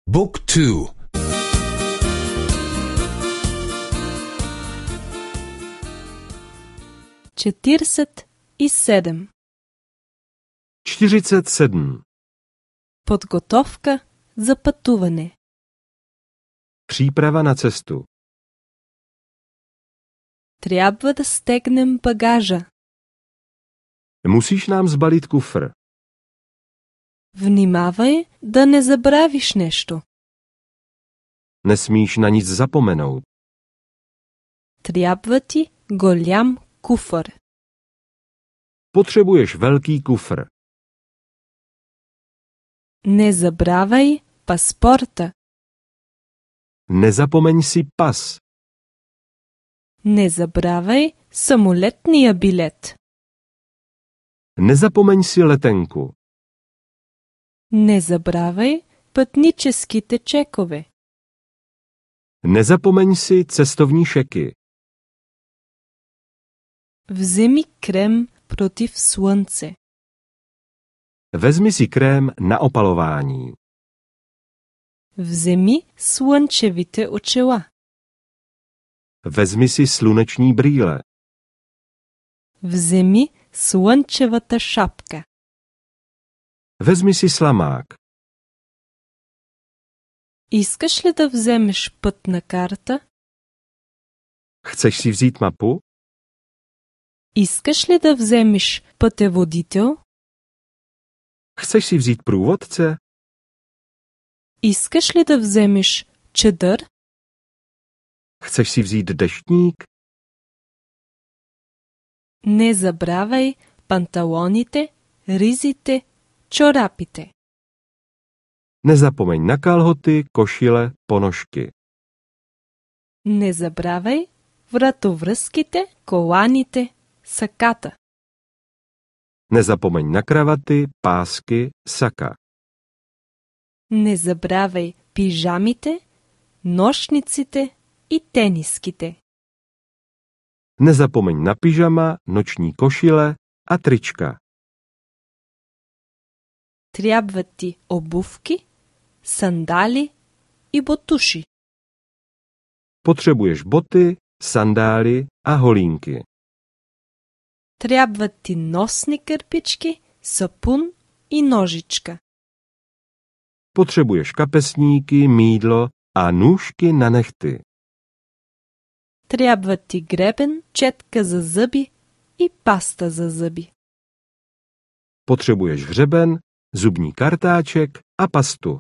Book 2. 47. 47. Подготовка за пътуване. Příprava na cestu. Трябва да стегнем багажа. Musíš nám zbalit kufr. Внимавай да не забравиш нещо. Nesmíš na nic zapomenout. Трябва ти голям куфър. Potřebuješ velký kufr. Не забравяй паспорта. Nezapomeň si pas. Не забравяй самолетния билет. Nezapomeň si letenku. Не забравяй пътническите чекове. Nezapomeň si cestovní šeky. Вземи крем против слънце. Vezmi si krém na opalování. Вземи слънчевите очила. Vezmi si sluneční brýle. Вземи слънчевата шапка. Vezmi si slamák. Искаш ли да вземеш пътна карта? Chceš si vzít mapu? Искаш ли да вземеш пътеводител? Chceš si vzít průvodce? Искаш ли да вземеш чадър? Chceš si vzít deštník? Не забравяй панталоните, ризите, чорапите. Nezapomeň na kalhoty, košile, ponožky. Не забравяй вратовръзките, коланите, саката. Nezapomeň na kravaty, pásky, saka. Не забравяй пижамите, нощниците и тениските. Nezapomeň na pyžama, noční košile a trička. Трябват ти обувки, сандали и ботуши. Potřebuješ boty, sandály a holínky. Трябват ти носни кърпички, сапун и ножичка. Potřebuješ kapesníky, mýdlo a nůžky na nehty. Трябват ти гребен, четка за зъби и паста за зъби. Potřebuješ hřeben, zubní kartáček a pastu.